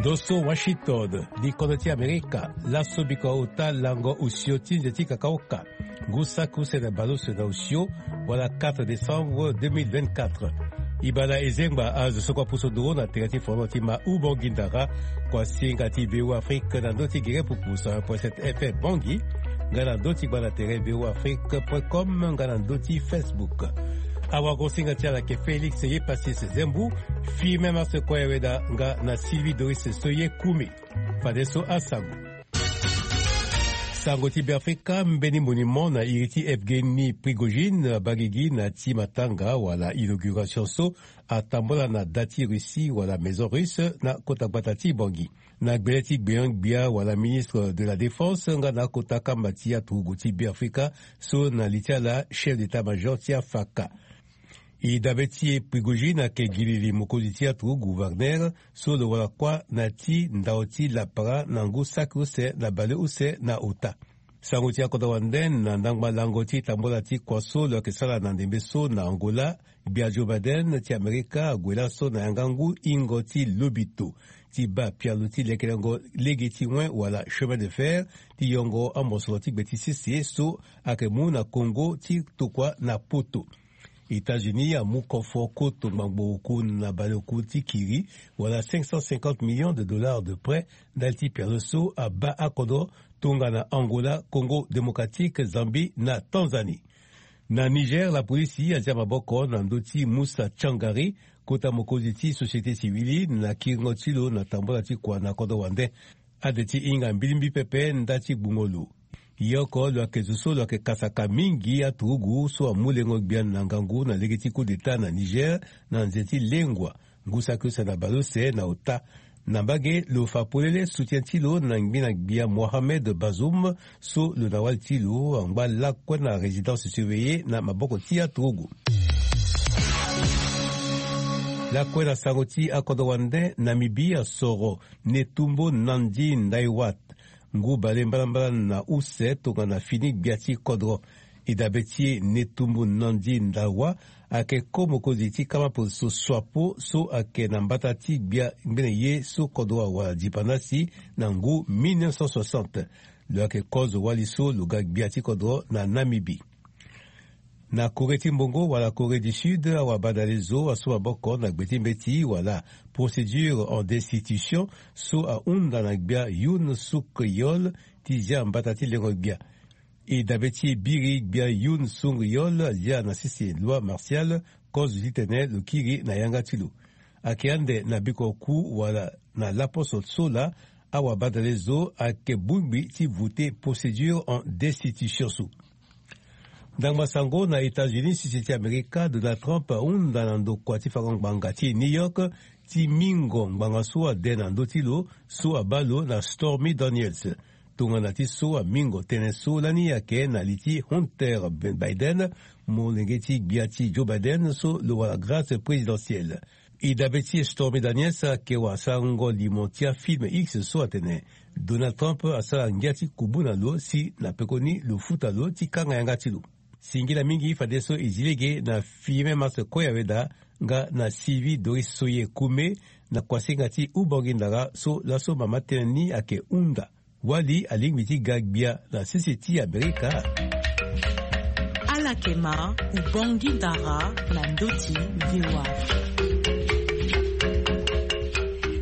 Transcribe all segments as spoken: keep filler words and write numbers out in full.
Ndo so Washington, likodro ti Amerika, laso biko ota lango osio ti nze ti kakaoka, ngu saki use na baleuse na osio, wala quatre décembre deux mille vingt-quatre. E baa na e zengba azo so kua pusu nduru na tere ti fondro ti ma Ubongi Ndara, kua singa ti V O A Afrique na ndö ti gere pupu cent un point sept F M Bangui, nga na ndö ti gba na tere V O A Afrique point com, nga na ndö ti Facebook. Awagosinga ti ala ayeke Félix Yepasis Zembu, Firmin Mars Koyaweda, nga na Sylvie Doris Soye Koumi. Fadeso asango. Sango ti Beafrika, mbeni monument na iri ti Evgeny Prigojine abaa gigi na ti matanga wala inauguration so atambola na da ti Russie wala Maison Russe na kota gbata ti Bangui. Na gbele ti gbenyo-gbia wala ministre de la Défense nga na akota kamba ti aturugu ti Beafrika so na li ti ala chef d'état-major ti afaka. E dabe ti e Prigojine ayeke gilili mokonzi ti aturugu Wagner so lo wara kuâ na ti ndao ti lapara na ngu saki use na baleuse na ota. Sango ti akodro wande na ndangba lango ti tambola ti kua so lo yeke sara na ndembe so na Angola, gbia Joe Biden ti Amerika ague laso na yanga ngu hingo ti lobito ti baa pialo ti lekelengo lege ti wen wala chemin de fer ti yongo amosoro ti gbe ti sese so ayeke mu na Congo ti tokua na poto. États-Unis amu kofo koto ngbangbo oku na baleoku ti kiri, wala cinq cent cinquante millions de dollars de prêt, ndali ti pialo so abaa akodro tongana Angola, Congo Démocratique, Zambie na Tanzanie. Na Niger, lapolisi azia maboko na ndö ti Musa Changari, kota mokonzi ti société civile, na kiringo ti lo na tambola ti kua na kodro wande. Ade ti hinga mbilimbi pepe nda ti gbungo lo. Ye oko lo yeke zo so lo yeke kasaka mingi aturugu so amu lengo-gbia na ngangu na lege ti coup d'État na Niger na nze ti lengua, ngu saki use na baleuse na ota. Na mbage, lo fa polele soutien ti lo na ngbena-gbia Mohamed Bazoum so lo na wali ti lo angba lakue na résidence surveillée na maboko ti aturugu. Lakue na sango ti akodro wande, Namibie asoro Netumbo Nandi-Ndaitwah, ngu bale mbalambala na use tongana fini gbia ti kodro. E dabe ti e Netumbo Nandi-Ndaitwah ayeke ko mokonzi ti kama poso Swapo so ayeke na mbata ti gbia ngbene ye so kodro awara dipandasi na ngu mille neuf cent soixante. Lo yeke kozo wali so lo ga gbia ti kodro na Namibie. Na Corée ti mbongo wala Corée du Sud, awabadale zo asu maboko na gbe ti mbeti wala procédure en destitution so ahunda na gbia Yoon Suk Yeol ti zia mbata ti lengo-gbia. E dabe ti e biri gbia Yoon Suk Yeol azia na sese loi martiale, kozo titene lo kiri na yanga ti lo. Ayeke ande na bikua oku wala na laposo so laa, awabadale zo ayeke bongbi ti vote procédure en destitution so. Ndangba sango na États-Unis, sese ti Amerika, Donald Trump ahunda na ndokua ti fango ngbanga ti New York ti mingo ngbanga so ade na ndö ti lo so abaa lo na Stormy Daniels. Tongana ti so amingo tënë so lani ayeke na li ti Hunter Biden, molenge ti gbia ti Joe Biden so lo wara grâce présidentielle. E dabe ti e Stormy Daniels ayeke wara sarango limo ti afilm X so atene Donald Trump asara ngia ti kubu na lo si na pekoni lo futa lo ti kanga yanga ti lo. Singila mingi fadeso e zi lege na Firmin Mars Koyaweda nga na Sylvie Doris Soye Koumi na kuasinga ti Ubongi Ndara so laso mama tënë ni ayeke hunda. Wali alingbi ti ga gbia na sese ti Amerika. Ala yeke ma Ubongi Ndara na ndö ti V O A.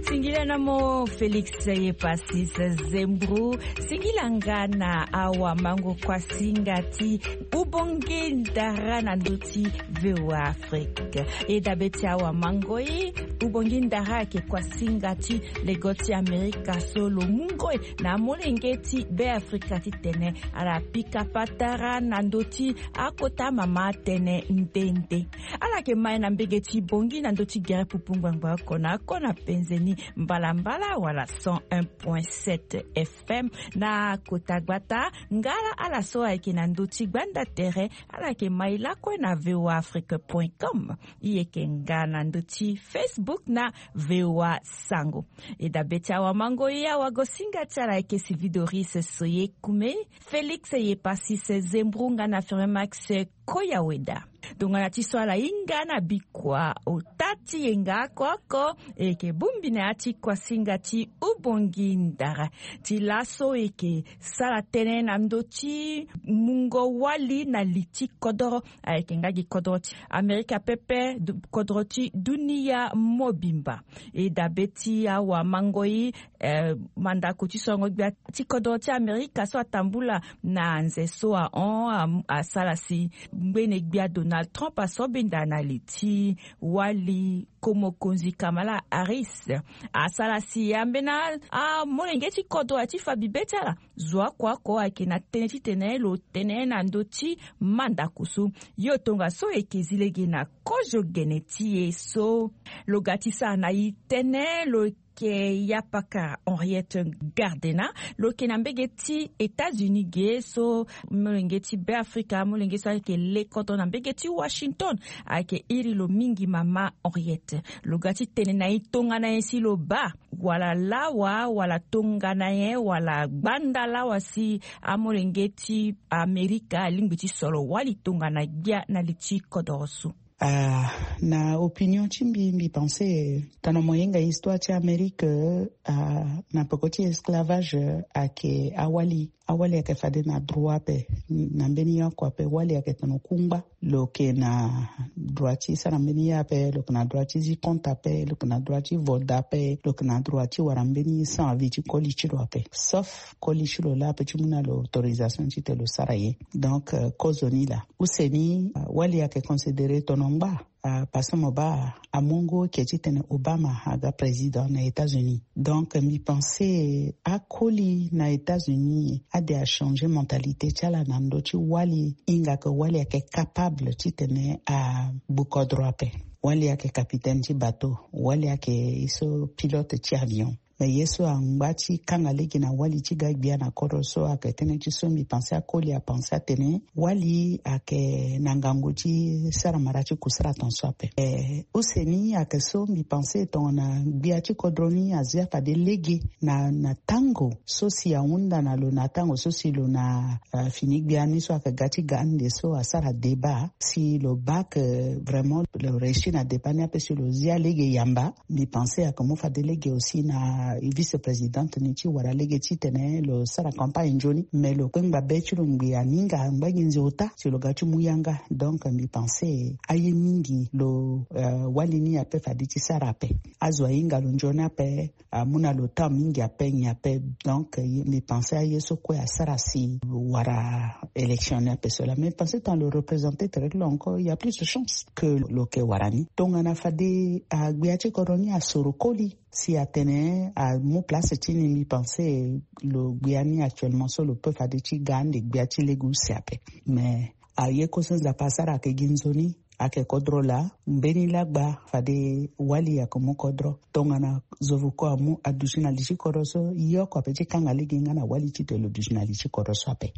Singila na mo Félix Yepasis Zembro. Singila nga na awamango kuasinga ti Ubongi Ndara na ndö ti V O A Afrique. E dabe ti awamango ye, Ubongi Ndara ayeke kuasinga ti lego ti Amerika so lo mu ngoi na amolenge ti Beafrika titene ala pika patara na ndö ti akota mama tënë nde nde. Ala yeke ma e na mbege ti bongi na ndö ti gere pupu ngbangba oko na oko na penze ni mbalambala wala cent un point sept F M na kota gbata. Ngala ala so ayeke na ndö ti gbanda tere, ala yeke ma e lakue na V O A Afrique point com. E yeke nga na ndö ti Facebook na V O A Sango. E dabe ti awamango ye, awagosinga ti ala ayeke Sylvie Doris Soye Koumi, Félix Yepasis Zembro nga na Firmin Mars Koyaweda. Tongana ti so ala hinga na bikua ota ti yenga oko oko, e yeke bongbi na ya ti kuasinga ti ubongi ndara. Ti laso e yeke sara tënë na ndö ti mungo wali na li ti kodoro, ayeke nga gi kodro ti Amerika pepe, du- kodro ti dunia mobimba. E dabe ti awamangoi, eh, mandako ti sorongo gbia ti kodro ti Amerika so atambula na nze so ahon, am- asara si ngbene gbia Donald Trump asobenda na li ti wali ko mokonzi Kamala Harris. Asara si ambeni amolenge ti kodro aye ti fa bibe ti ala zo oko oko ayeke na tënë titene lo tene na ndö ti mandako so. Yo tongaso e yeke zi lege na kozo gene ti e so. Lo ga ti sara na e tënë, lo yeke Yapaka Henriette Gardena, lo yeke na mbege ti États-Unis ge so, molenge ti Beafrika, molenge so ayeke le kodro na mbege ti Washington. Ayeke iri lo mingi mama Henriette. Lo ga ti tene na e tongana nyen si lo baa, wala lawa, wala tongana nyen, wala gbanda lawa si amolenge ti Amerika alingbi ti soro wali tongana gbia na li ti kodoro so. Ah, na opinion ti mbi, mbi pense, eh, tongana mo hinga histoire ti Amérique, eh, ah, na peko ti esclavage, eh, ayeke awali. Awali ayeke fade na droit ape, na mbeni ye oko ape. Wali ayeke tongana kungba. Lo yeke na droit ti sara mbeni ye ape, lo yeke na droit ti zi compte ape, lo yeke na droit ti vote ape, lo yeke na droit ti wara mbeni sans avis ti koli ti lo ape. Sauf koli ti lo laa ape ti mu na lo autorisation titene lo sara ye. Donc, euh, kozo ni laa. Use ni, euh, wali ayeke considéré tongana ngba. Ah, parce que mo baa amu ngu oke titene Obama aga président na États-Unis. Donc, mbi pense akoli na États-Unis ade achangé mentalité ti ala na ndö ti wali, hinga ke wali ayeke capable titene agbu kodro ape. Wali ayeke capitaine ti bateau, wali ayeke ye so pilote ti avion. Me ye so angba ti kanga lege na wali ti ga gbia na kodro so ayeke tënë ti so mbi pense akoli apense atene wali ayeke na ngangu ti sara mara ti kusara tongaso ape. Eh, use ni ayeke so mbi pense tongana gbia ti kodro ni azia fade lege na, na tango so si ahunda na lo, na tango so si lo na, eh, fini gbia ni so ayeke ga ti ga ande so asara débat, si lo baa ke vraiment lo réussi na débat ni ape, si lo zia lege yamba. Mbi pense ayeke mu fade lege aussi na vice-présidente ni ti wara lege titene lo sara campagne nzoni, me lo kpengba be ti lo ngbii aninga angba gi nze ota si lo ga ti mu yanga. Donc mbi pense aye mingi lo, euh, wali ni ape fade ti sara ape. Azo ahinga lo nzoni ape, amu na lo temps mingi ape nyen ape. Donc, euh, mbi pense aye so kue asara si wara élection ni ape so laa. Mais mbi pense tongana lo représenter tere ti lo encore, il y a plus de chance que lo yeke wara ni. Tongana fade, ah, gbia ti kodro ni asoro koli si atene amu place ti ni, mbi pense lo gbia ni actuellement so lo peut fade ti ga ande gbia ti lege use ape. Mais aye kue so Nzapa asara ayeke gi nzoni, ayeke kodro laa. Mbeni lagba fade wali ayeke mu kodro. Tongana zo vuko amu aduti na li ti kodro so, ye oko ape ti kanga lege nga na wali titene lo duti na li ti kodro so ape.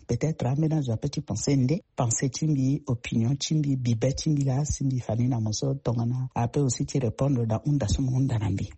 Peut-être ambeni azo ape ti pense nde, pense ti mbi, opinion ti mbi, bibe ti mbi laa si mbi fa ni na mo so tongana ape aussi ti répondre na hunda so mo hunda na mbi.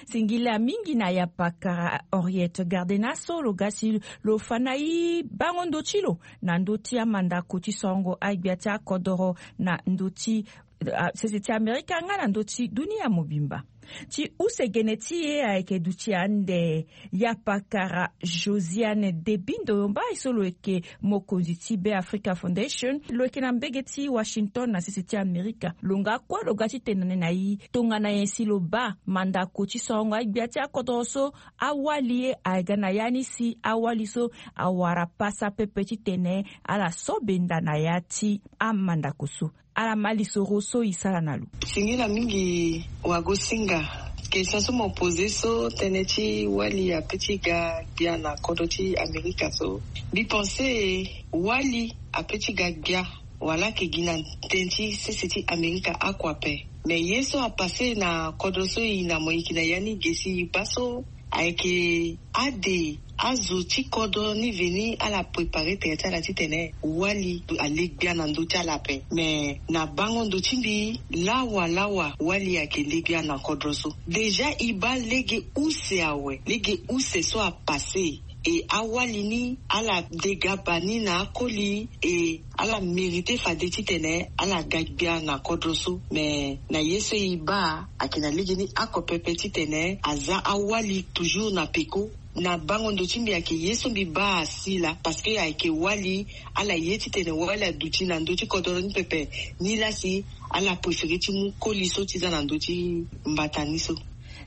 Singila mingi na yapakara Henriette Gardena so lo ga si lo fa na e bango ndö ti lo na ndö ti amandako ti sorongo agbia ti akodoro na ndö ti, ah, sese ti Amerika nga na ndö ti dunia mobimba. Ti use gene ti e ayeke duti ande yapakara Josiane Debindo Yomba, so lo yeke mokonzi ti Be Africa Foundation. Lo yeke na mbege ti Washington na sese ti Amerika. Lo nga kue lo ga ti tene na e tongana nyen si lo baa mandako ti sorongo agbia ti akodoro so, awali ye ayeke ga na ya ni si awali so awara pasa pepe titene ala so benda na ya ti amandako so. Ala ma lisoro so e sara na lo. Singila mingi wagosinga. Question so mo pose so, tënë ti wali ape ti ga gbia na kodro ti Amerika so. Mbi pense wali ape ti ga gbia wala ayeke gi na tënë ti sese ti Amerika oko ape. Me ye so apasse na kodro so e na mo yeke na ya ni ge si e baa so, ayeke ade azo ti kodro ni veni ala préparer tere ti ala titene wali ale gbia na ndö ti ala ape. Me na bango ndo ti mbi, lawa lawa wali ayeke le gbia na kodro so. Déjà e baa lege use awe, lege use so apasse. E awali ni ala dega bani na akoli e ala merite fade titene ala ga gbia na kodro so. Me na ye so e baa ayeke na legeni oko pepe titene aza awali toujours na peko. Na bango ndo ti mbi ayeke ye so mbi baa asi laa parce que ayeke wali ala ye titene wali aduti na ndö ti kodoro ni pepe. Nilaa si ala préféré ti mu koli so ti za na ndö ti mbata ni so.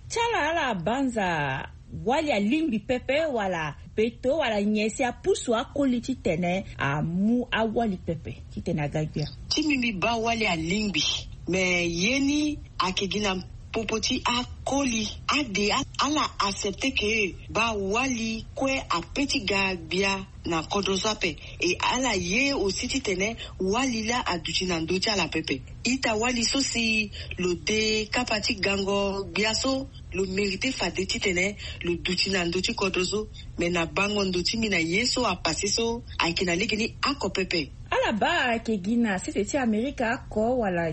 Ti ala ala banza wali alingbi pepe wala beto wala nyen si apusu akoli titene amu awali pepe titene aga gbia? Ti mbi mbi baa wali alingbi. Me ye ni ayeke gi na popo ti akoli ade ala accepte ke baa wali kue ape ti ga gbia na kodro so ape. E ala ye aussi titene wali laa aduti na ndö ti ala pepe. Ita wali so si lo de kapa ti gango gbia so lo mérite fade titene lo duti na ndö ti kodro so. Me na bango ndo ti mbi na ye so apase so ayeke na legeni oko pepe. Ala baa ayeke gi na sese ti amerika oko wala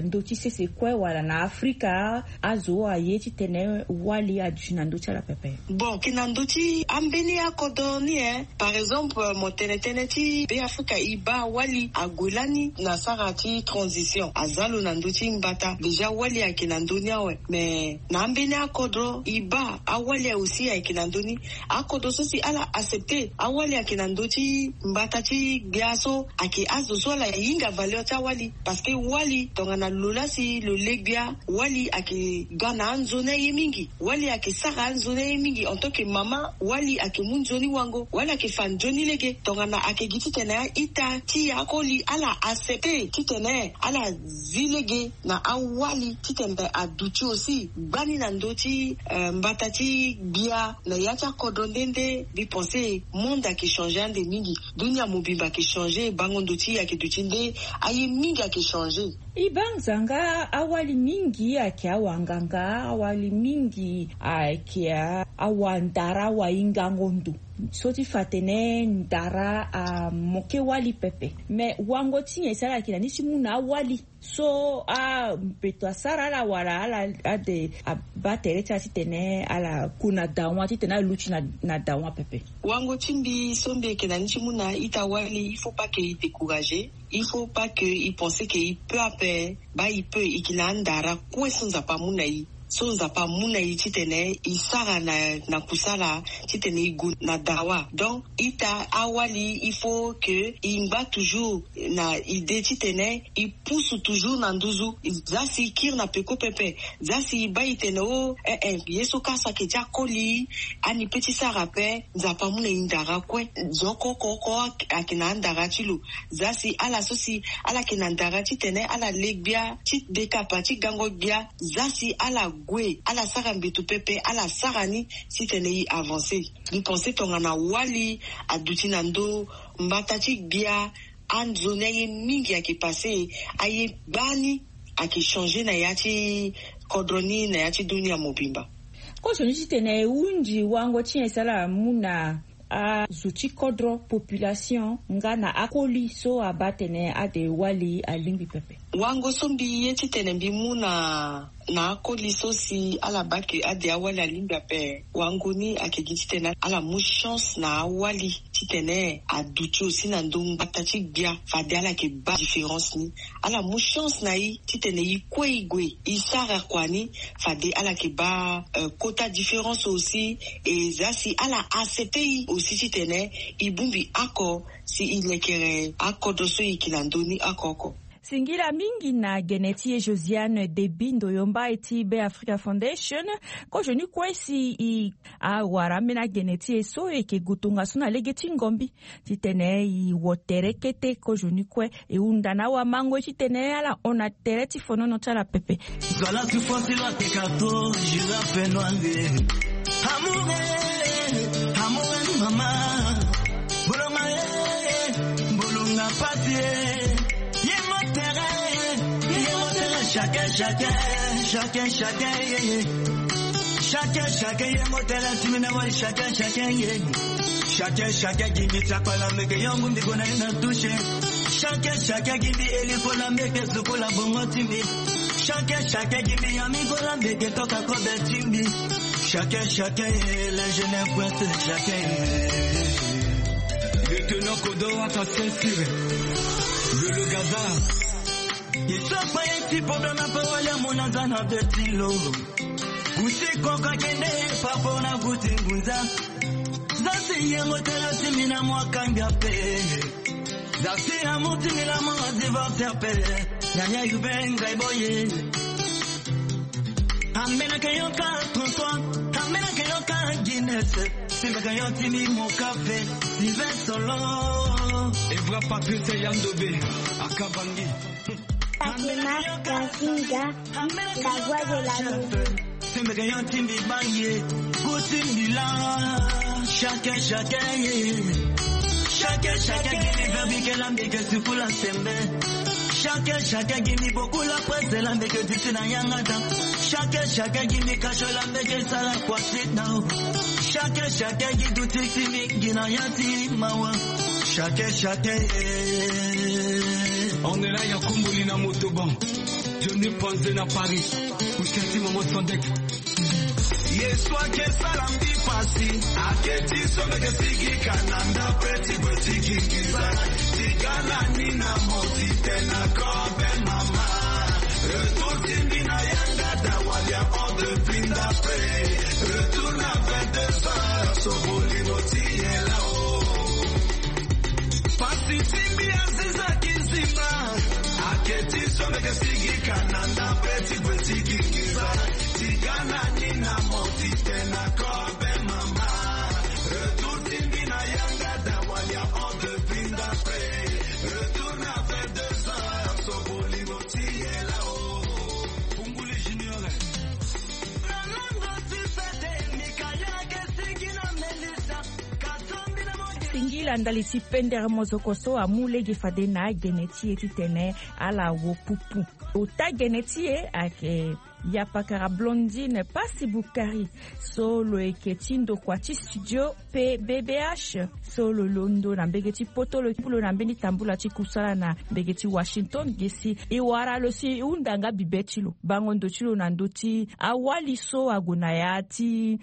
ndö ti sese kue wala na afrika? Azo aye titene wali aduti na ndö ti ala pepe. Bon, ayeke na ndö ti ambeni akodro ni e. Par exemple mo tene tënë ti be afrika e baa wali ague lani na sara ti transition aza lo na ndö ti mbata déjà wali ayeke na ndö ni awe. Me na ambeni akodro e baa awali aye aussi ayeke na ndö ni. Akodro so si ala accepte awali ayeke na ndö ti mbata ti gbia so ayeke azo so ala hinga valeur ti awali. Parce que wali tongana lo laa si lo le gbia wali ayeke ga na anzoni aye mingi. Wali ayeke sara anzoni aye mingi en tant que mama. Wali ayeke mu nzoni wango wali ayeke fa nzoni lege tongana ayeke gi titene a-ita ti akoli ala accepte titene ala zi lege na awali titene aduti aussi gbani na ndö ti mbata ti gbia na ya ti akodro nde nde. Mbi pense monde ayeke changer ande mingi. Dunia mobimba ayeke changer bango ndo ti e ayeke duti nde aye mingi ayeke changer. E baa nzanga awali mingi ayeke awanganga awali mingi ayeke awandara awahingango ndo so ti fa atene ndara amoke wali pepe. Me wango ti nyen si ala yeke na ni ti mu na awali so a mpeto asara ala wala ala ade abaa tere ti ala titene ala ku na dawa titene ala luti na dawa pepe. Wango ti mbi so mbi yeke na ni ti mu na ita wali il faut pas que e décourager. Il faut pas que e pense que e peu ape. Baa e peu e yeke na andara kue so nzapa amu na e so nzapa amu na e titene e sara na kusala titene e gue na dawa. Donc ita awali il faut que e ngba toujours na idée titene e pusu toujours na nduzu. Za si e kiri na peko pepe za si e baa e tene o eh eh ye so kâ so ayeke ti akoli ani pe ti sara ape. Nzapa amu na e ndara kue. Zo oko oko oko ayeke na andara ti lo. Za si ala so si ala yeke na ndara titene ala le gbia ti dekapa ti gango gbia za si ala gue ala sara mbeto pepe ala sara ni titene e avancer. Mbi pense tongana wali aduti na ndö mbata ti gbia anzoni aye mingi ayeke passe. Aye gbani ayeke changer na ya ti kodro ni na ya ti dunia mobimba. Kozoni titene e hunzi wango ti nyen si ala mu na azo ti kodro population nga na akoli so abaa tene ade wali alingbi pepe. Wango so mbi ye titene mbi mu na na akoli so si ala baa ke ade awali alingbi ape wango ni ayeke gi titene ala mu chance na awali titene aduti aussi na ndö ngbata ti gbia fade ala yeke baa différence ni. Ala mu chance na e titene e kue e gue e sara kua ni fade ala yeke baa kota différence aussi. E za si ala accepte e aussi titene e bongbi oko si e lekere akodro so e yeke na ndö ni oko oko. Singila mingi na gene ti e josiane debi ndoyo mbai ti be africa foundation. Kozoni kue si e awara ambeni agene ti e so e yeke gue tongaso na lege ti ngombi titene e wo tere kete kozoni kue e hunda na awamango ye titene ala hon na tere ti fonono ti ala pepe. Zo ala ti fo ti lo ake karto jura fenoire. Amour eh, amour eh, mama. Bolonga eh, bolonga pasi eh. Ye mo tere eh, ye mo tere. Chacun chacun, chacun chacun eh. Chacun chacun ye mo tere ti mina wali chacun chacun ye. Chacun chacun gimi ti akpala meke yongu mbi gona ye na touche. Chacun chacun gimi eli kola meke zukola bongo ti mbi. Chacun chacun gimi yami kola meke toka kobe ti mbi. Chacun, chacun, eh, l'ingénieur pointe, chacun, eh. Le tenant Kodo à ta ceinture. Le, le gazard. Ils sont pas un petit problème à pas aller à mon anzana de tilo. Kusi koka kende, papa na kuti ngunza. Zasi yengo tela simi na mwa kanga pe. Zasi amuti mila mwa divorce pe. Nyanya yubenga iboye. Ambena ke yoka tonton, ambena ke yoka Guinness. Simba ke yoti mi mo café, Sylvain Solo. Evra Patrice Yandobe, Akabangi. Fatima Kasinga, la voix de la maison. Simba ke yoti mi baye, kuti mi la. Chacun, chacun, yeah. Chacun, chacun, give me verbi que la mbeke sukula sembe. Chacun, chacun, give me beaucoup la presse de la mbeke du tina yangata. Chacun, chacun, give me cache la mbeke sala kwa sit down. Chacun, chacun, give du titi mi gina yati mawa. Chacun, chacun, yeah. On est là, ya kumbuli na motoban. Johnny Panze na Paris. Ou cherchez maman Sandek. Yesu ake sala mbi pasi, ake ti so meke sigi kananda pe ti gwe ti gingisa. Ti ga na ni na moti te na kobe mama. Retour ti mbi na yanga da walia on de plinda pe. Retour na vingt-deux heures, so bolingo ti ye la o. Pasi ti mbi aziza ki nzima. Ake ti so meke sigi kananda pe ti gwe ti gingisa. Ti ga na ni na moti te na kobe mama. Retour ti mbi na yanga da walia on de plinda pe. Retour na vingt-deux heures, so bolingo ti ye la o. Punguli Junior. Singila ndali ti pendere mozoko so amu lege fade na gene ti e titene ala wo pupu. Ota gene ti e ayeke yapakara Blondine Pasi Bukari, so lo yeke ti ndokua ti studio pe B B H, so lo londo na mbege ti poto, lo ti pulo na mbeni tambula ti kusala na mbege ti Washington. Gi si e wara lo si e hunda nga bibe ti lo, bango ndo ti lo na ndö ti awali so ague na ya ti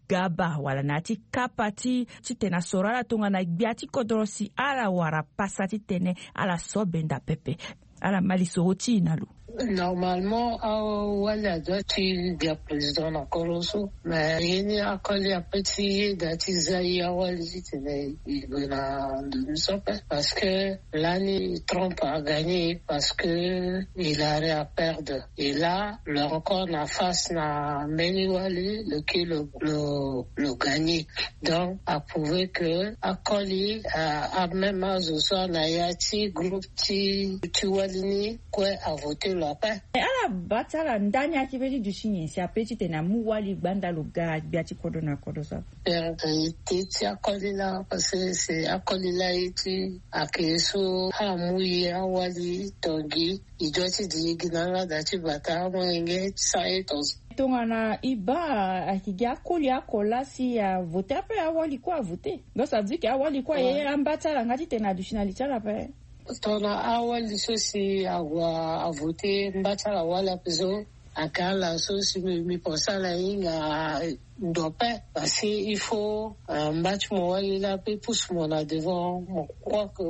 gaba wala na ya ti kapa ti titene asoro ala tongana gbia ti kodro si ala wara pasa titene ala so benda pepe. Ala ma lisoro ti e na lo. Normalement awali adoit ti gbia président na koro so, mais ye ni akoli ape ti yeda ti za ye awali titene e gue na ndo ni so ape. Parce que lani Trump a gagné parce que il a rien à perdre. Et là, le record na face na mbeni wali, lequel le, le, le gagné. Donc, a prouvé que akoli, a, a même azo so na ya ti groupe ti, ti wali ni kue a voté lo ape. E ala baa ti ala ndani ayeke pe ti duti nyen si ape titene amu wali gbanda lo ga gbia ti kodro na kodro so? Vérité ti akoli laa, parce que c'est akoli laa ye ti ake so amu ye awali tongi. E doit ti di gi na ala da ti bata amolenge ti sa ye tonga. Tongana e baa ayeke gi akoli oko laa si avote ape, awali kue avote. Donc ça veut dire que awali kue aye amba ti ala nga titene aduti na li ti ala ape. Tongana awali so si ague avote mba ti ala wali ape so, aka ala so si mi, mi pense ala hinga ndo ape. Parce que il faut, euh, mba ti mo wali laa ape pusu mo na devant. Mo crois que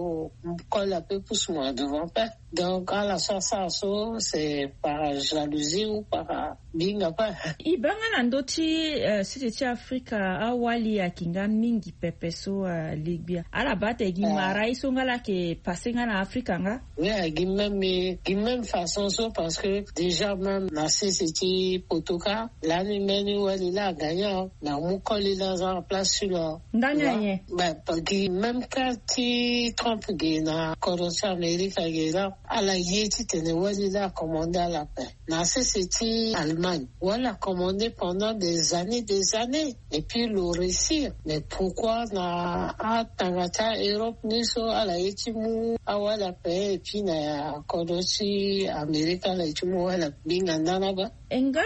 koli ape pusu mo na devant ape. Donc ala so asara so c'est par jalousie ou par, euh, binga ape. E baa nga na ndö ti, euh, site ti Afrika awali ayeke nga mingi pepe so, euh, legbia. Ala baa ate gi mara ye so nga la ayeke passe nga na Afrika nga. Oui, gi même, gi même façon so, parce que déjà même na sese ti poto kâ, lani mbeni wali laa agagné, na mu koli laa aza na place ti lo. Ndani ayen? Bah, gi même kâ ti Trump ge na kodro ti Amérique ge laa, ala ye titene wali laa acommandé ala ape. Na sese ti Allemagne, wali acommandé pendant des années, des années. Et puis lo réussir. Mais pourquoi na atanga ti Europe ni so ala ye ti mu awali ape, et puis na kodro ti Amérique ala ye ti mu awali ape? Binga ndani aba. E nga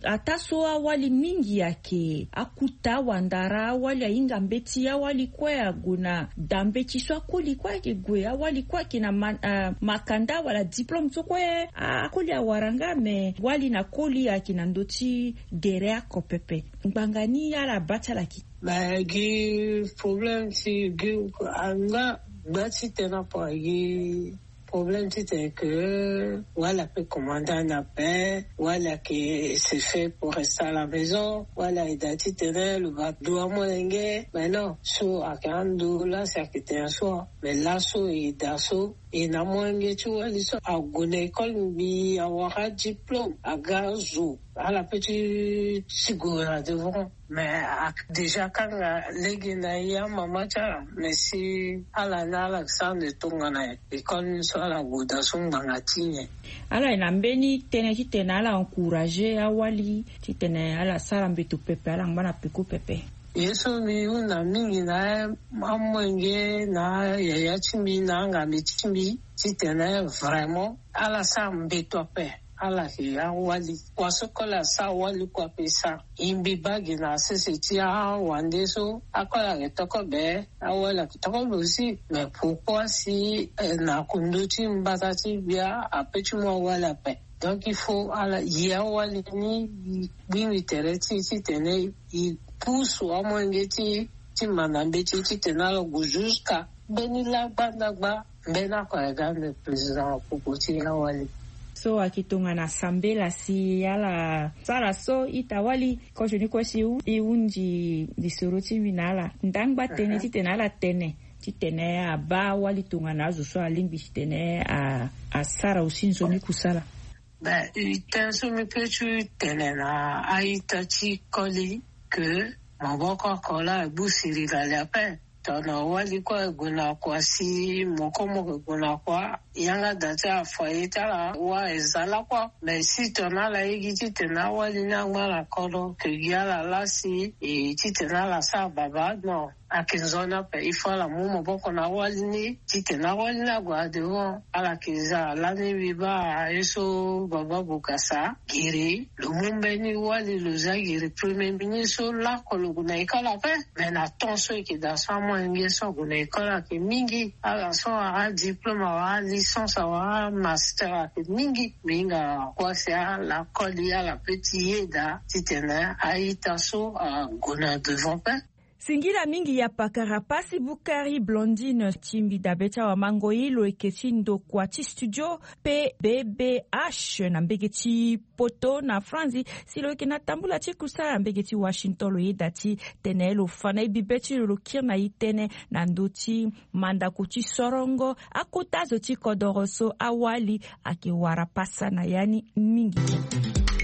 ataa so awali mingi ayeke E akuta wandara awali ahinga mbeti awali kue ague na da mbeti so akoli kue ayeke gue awali kue ayeke na ma- ah, makanda wala diplôme so kue akoli awara nga me wali na koli ayeke na ndö ti gere oko pepe. Ngbanga ni ala baa ti ala yeke. Mais gi problème ti gi anga gba ti tena po gi problème ti tena que wala pe commandant na pe wala que c'est fait pour rester à la maison wala eda ti tena lo ba dua molenge. Mais non, so ake ando la si ake tena so mais la so eda so e na molenge ti wali so ague na école mbi awara diplôme aga zo ala pe ti ti gue na devant. Mais déjà kanga lege na ya mama ti ala mais si ala na ala sande tongana école ni so ala gue da so ngbanga ti nyen. Ala ye na mbeni tënë titene ala encourager awali titene ala sara mbeto pepe ala ngba na peko pepe. Ye so mbi hunda mingi na amolenge na yaya ti mbi na angambe ti mbi titene vraiment ala sara mbeto ape. Ala ke awali kua so kole asara wali kua pe sara. E mbi baa gi na sese ti awande so akole ayeke toko be awali ayeke toko be aussi. Mais pourquoi si na kundu ti mbata ti gbia ape ti mu awali ape? Donc il faut ala ye awali ni e gbi mbi tere ti e titene e pusu amolenge ti e ti manda mbeti titene ala gue jusqu'à mbeni laa gbanda gba mbeni ako aga ande président apoko ti awali. So ayeke tongana sambela si ala sara so ita wali kozo ni kue si e hunzi lisoro ti mbi na ala ndangba tënë titene ala tene titene abaa wali tongana azo so alingbi titene asara aussi nzoni kusala. Ben e tënë so mbi pe ti tene na a-ita ti koli ke maboko oko laa e gbu sirila li ape. Tongana wali kue e gue na kua si moko moko e gue na kua yanga da ti afoyer ti ala wa e za lakue. Mais si tongana ala ye gi titene awali ni angba na kodro ke gi ala laa si e titene ala sara baba non. Ayeke nzoni ape il faut ala mu maboko na awali ni titene awali ni ague na devant. Ala yeke za lani mbi baa ye so baba bokasa giri lo mu mbeni wali lo za giri premier ministre so lako lo gue na école ape. Mais na temps so e yeke daa so amolenge so ague na école ayeke mingi ala so awara diplôme awara licence awara master ayeke mingi. Mbi hinga kua si ala koli ala pe ti yeda titene a-ita so ague na devant pe. Singila mingi ya pakara pasi bukari blondine ti mbi dabe ti awamangoi lo yeke ti ndokua ti studio pe bbh na mbege ti poto na franzi si lo yeke na tambula ti kusala na mbege ti washington lo yeda ti tene lo fa na e bibe ti lo lo kiri na e tënë na ndö ti mandako ti sorongo akota zo ti kodoro so awali ayeke wara pasa na ya ni mingi.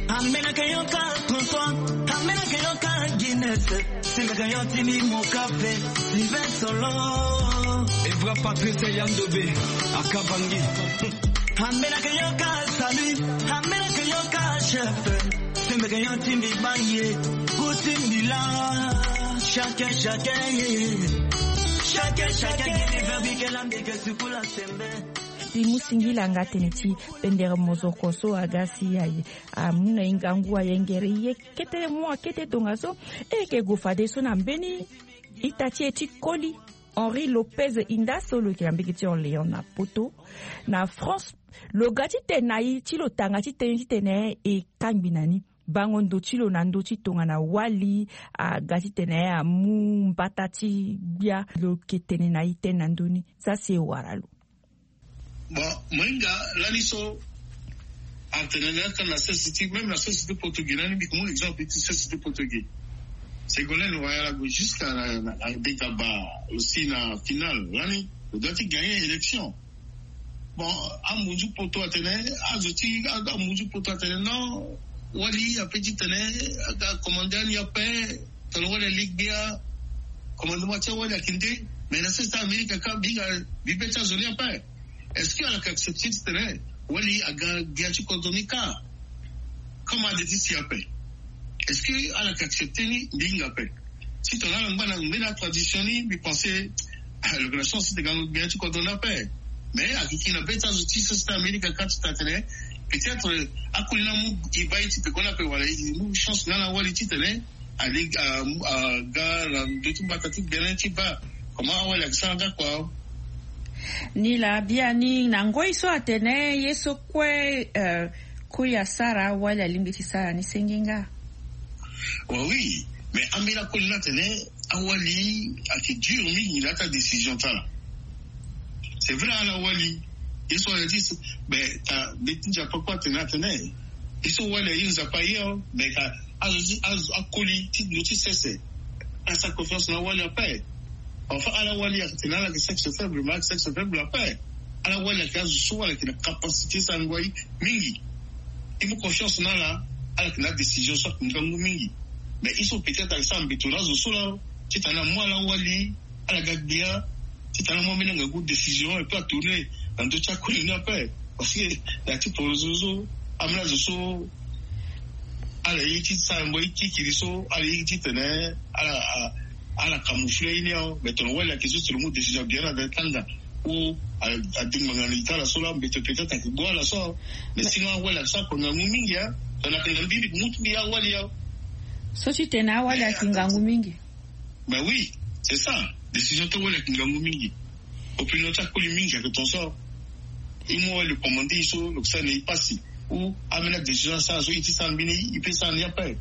Ambeni ayeke yo ka tonton, ambeni ayeke yo ka guiness. Singaka yo ti mbi moka pe sylvain solo. Evra patrice yandobe akabangi. Ambeni ayeke yo ka salut, ambeni ayeke yo ka chef. Singaka yo ti mbi bangi kuti mbi la. Chacun chacun ye. Chacun chacun ye. Verbi ke la mbi ke sukula sembe. Ti mu singila nga tene ti pendere mozoko so aga si aye amu na e ngangu ayengere e ye kete mu akete tongaso. E yeke gue fadeso na mbeni ita ti e ti koli Henri Lopez Inda so lo yeke na mbege ti Orléans na poto na France. Lo ga ti tene na e ti lo tanga ti tënë titene e kangbi na ni bango ndo ti lo na ndö ti tongana wali aga titene amu mbata ti gbia. Lo yeke tene na e tënë na ndö ni. Za si e wara lo. Bon, mohinga lani so atene na aka na société même na société portugais lani mbi komo exemple ti société portugais. Ségolène royal ague jusqu'à na degaba aussi na finale lani lo doit ti gagner élection. Bon, amunzu poto atene azo ti amunzu poto atene non, wali ape ti tene aga commande ani ape. Tongana wali ali gbia commandement ti awali ayeke nde. Mais na sese ti amerika ka mbi hinga mbi be ti azo ni ape. Est-ce que ala yeke accepter titene wali aga gbia ti kodro ni ka? Comme ade ti si ape, est-ce que ala yeke accepter ni? Mbi hinga ape. Si tongana ala ngba na mbeni atradisio ni mbi pense lo yeke na chance ti gango gbia ti kodro ni ape. Mais ayeke kiri na be ti azo ti so si ti amerika ka ti tene peut-être akoli ni amu e baa ye ti pekoni ape wala e mu chance nga na wali titene Alingbi aga na ndö ti mbata ti gbene ti baa. Comment awali ayeke sara nga kua? Ni laa biani na ngoi so atene ye so kue koli asara, awali alingbi ti sara ni senge nga. Oui, mais ambeni akoli ni atene awali ayeke dur mingi na ya ti adécision ti ala. C'est vrai, ala wali. Ye so wali ti, mais ka mbi ti nzapa kue atene atene ye so wali aye nzapa aye o, mais ka azo ti azo akoli ti ndo ti sese asara confiance na awali ape. Enfin ala wali atene ala yeke sexe faible, mais ala yeke sexe faible ape. Ala wali ayeke azo so ala yeke na capacité ti sara ngoi mingi. I mu confiance na ala, ala yeke na adécision so ayeke ngangu mingi. Mais i so peut-être ayeke sara mbeto na azo so laa titene amu ala wali ala ga gbia titene amu ambeni angangu décision et puis atourne na ndö ti akoli ni ape. Parce que na ya ti poroso so ambeni azo so ala ye ti sara ngoi kikiri so ala ye titene ala ala camoufler ye ni awe. Mais tongana wali ayeke so si lo mu décision bien na da ti tanga ou adingbanga na li ti ala so laa mbeto peut-être ayeke gbu ala so. Mais sinon awali ayeke sara kua ngangu mingi a. Tongana ayeke na mbi mbi yeke mu ti mbi awali awe. So titene awali ayeke ngangu mingi. Mais oui, c'est ça. Décision ti awali ayeke ngangu mingi. Opinion ti akoli mingi ayeke ton so. I mu awali lo commande i so lo yeke sara na i pasi. Ou ambeni adécision asara so i ti sara mbeni i pe sara ni ape.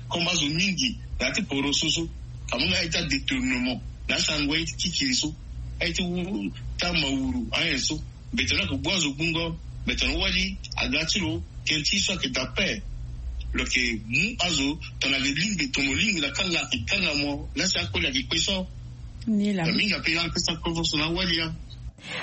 Comme azo mingi na ya ti poroso so amu nga aye ti adétournement na asara ngoi aye ti kikiri so, aye ti wu ti amawuru ayen so. Mbeto ni ayeke gbu azo gbungo. Mbeto ni wali aga ti lo, ken ti so ayeke daa ape. Lo yeke mu azo tongana ayeke lingbi tomo lingbi na kanga ayeke kanga mo laa si akoli ayeke kpe so. Ni laa mingi ape ala yeke sara confiance na awali ya.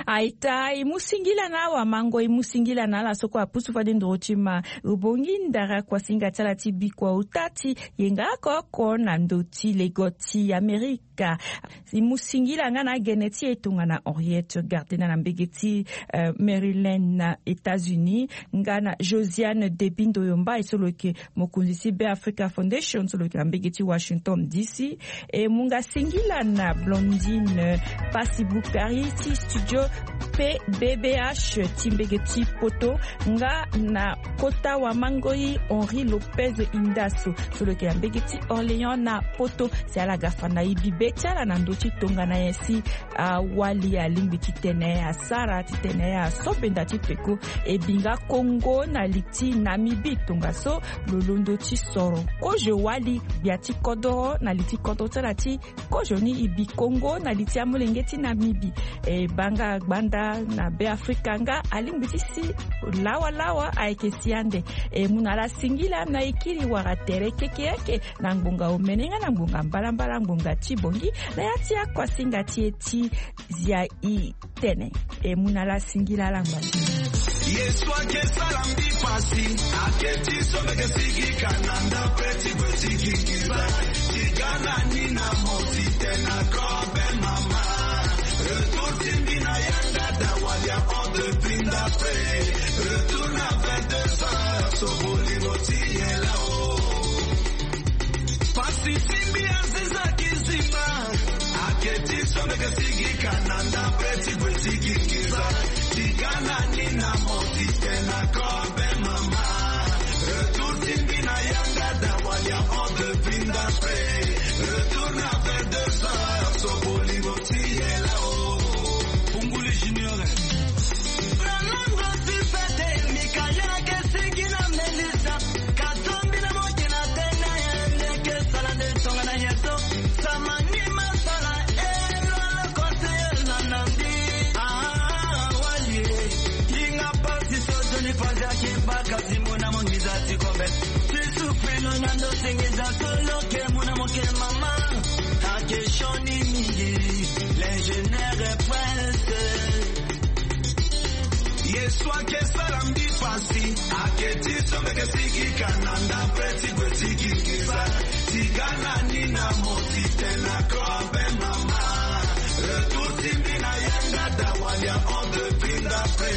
Aita, e mu singila na awamango, e mu singila na ala so kue apusu fade nduru ti ma. Rubongi ndara kuasinga ti ala ti bikua ota ti yenga oko oko na ndö ti lego ti Amerika. E mu singila nga na agene ti e tongana Henriette Gardena na mbege ti Maryland na États-Unis, nga na Josiane Debindo Yomba e so lo yeke mokonzi ti Be Africa Foundation so lo yeke na mbege ti Washington D C. E mu nga singila na Blondine Pasi Bukari ti studio P B B H ti mbege ti Poto, nga na kota wamangoi Henri Lopez Indaso so lo yeke na mbege ti Orléans na Poto. Si ala ga fa na e bibe ti ala na ndö ti tongana nyen si awali alingbi titene asara titene aso benda ti peko. E bi nga Kongo na li ti Namibie tongaso lo londo ti soro kozo wali gbia ti kodoro na li ti kodoro ti ala ti kozo ni. E bi Kongo na li ti amolenge ti Namibie. E baa nga gbanda na Be Afrika nga alingbi ti si lawalawa ayeke si ande. E mu na ala singila na e kiri wala tere kekereke na ngbonga omene nga na ngbonga mbalambala ngbonga ti bongi na ya ti akuasinga ti e ti zia i tene. E mu na ala singila ala ngba. Yesu ayeke sara mbi pasi. Ayeke ti so mbi yeke sigi ka na ndapre ti gue ti gi nginza. Ti ga na ni na mo titene na kobe mama. Retour ti mbi na yanga da wali ahon depuis ndapre. Retour na vingt-deux heures so bolingo ti ye lao. Pasi ti mbi aziza kizimba. Ayeke ti so mbi yeke sigi ka na ndapre ti gue ti gi nginza. Ti ga na ni na mo titene na kobe mama. Retour ti mbi na yanga da wali ahon depuis ndapre. Retour na vingt-deux heures so bolingo ti ye lao. Punguli Junior. Franango ti fete mika yeke sigi na Melissa. Ka tombi na moki na tene ye ndeke sala nde tongana ye so. Sama ni masala e lo ala kote ye na na mbi. Ah, wali e. Hinga pasi so Johnny Fazia ki baka ti mona mo nginza ti kobe. Ti souffrir lo na ndo ti nginza so lo ke mona mo ke mama. Ayeke sioni mingi. L'ingénieur est pressé. Yesu ayeke sara mbi pasi. Ayeke ti so mbi yeke sigi ka na ndapre ti gue ti gi nginza. Ti ga na ni na mo titene na kobe mama. Retour ti mbi na yanga da wali ahon depuis ndapre.